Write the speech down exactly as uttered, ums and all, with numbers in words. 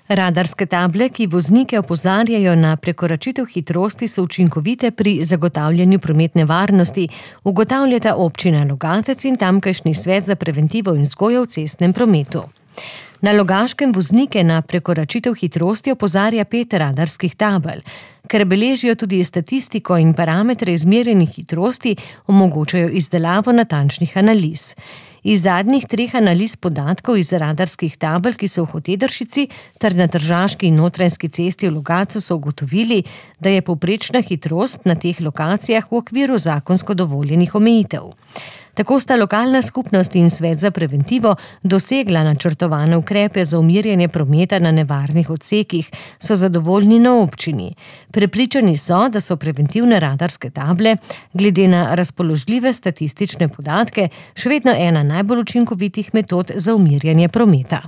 Radarske table, ki voznike opozarjajo na prekoračitev hitrosti, so učinkovite pri zagotavljanju prometne varnosti, ugotavljata občina Logatec in tamkajšnji svet za preventivo in vzgojo v cestnem prometu. Na Logaškem voznike na prekoračitev hitrosti opozarja pet radarskih tabel. Ker beležijo tudi statistiko in parametre izmerjenih hitrosti, omogočajo izdelavo natančnih analiz. Iz zadnjih treh analiz podatkov iz radarskih tabel, ki so v Hotedršici ter na Tržaški in Notranjski cesti v Logatcu, so ugotovili, da je povprečna hitrost na teh lokacijah v okviru zakonsko dovoljenih omejitev. Tako sta lokalna skupnost in svet za preventivo dosegla načrtovane ukrepe za umirjanje prometa na nevarnih odsekih, so zadovoljni na občini. Prepričani so, da so preventivne radarske table, glede na razpoložljive statistične podatke, še vedno ena najbolj učinkovitih metod za umirjanje prometa.